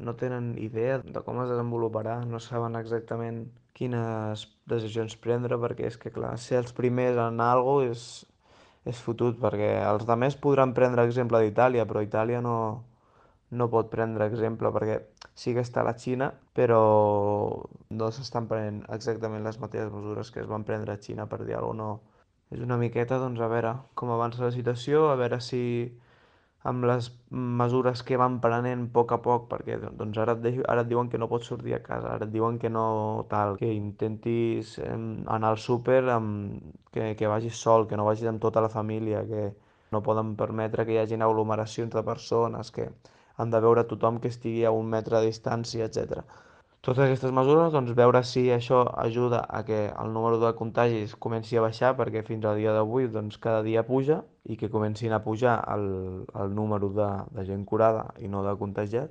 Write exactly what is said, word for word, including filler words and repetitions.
no tenen idea de com es desenvoluparà, no saben exactament quines decisions prendre, perquè és que, clar, ser els primers en algo és, és fotut, perquè els altres podran prendre exemple d'Itàlia, però Itàlia no, no pot prendre exemple perquè sí que està a la Xina, però no s'estan prenent exactament les mateixes mesures que es van prendre a Xina, per dir alguna cosa. No. És una miqueta, doncs, a veure com avança la situació, a veure si amb les mesures que van prenent a poc a poc, perquè doncs ara et, de- ara et diuen que no pots sortir a casa, ara et diuen que no tal, que intentis em, anar al súper, amb, que, que vagis sol, que no vagis amb tota la família, que no poden permetre que hi hagin aglomeracions de persones, que han de veure tothom que estigui a un metre de distància, etcètera. Totes aquestes mesures, doncs veure si això ajuda a que el número de contagis comenci a baixar, perquè fins al dia d'avui doncs cada dia puja, i que comencin a pujar el, el número de, de gent curada i no de contagiats.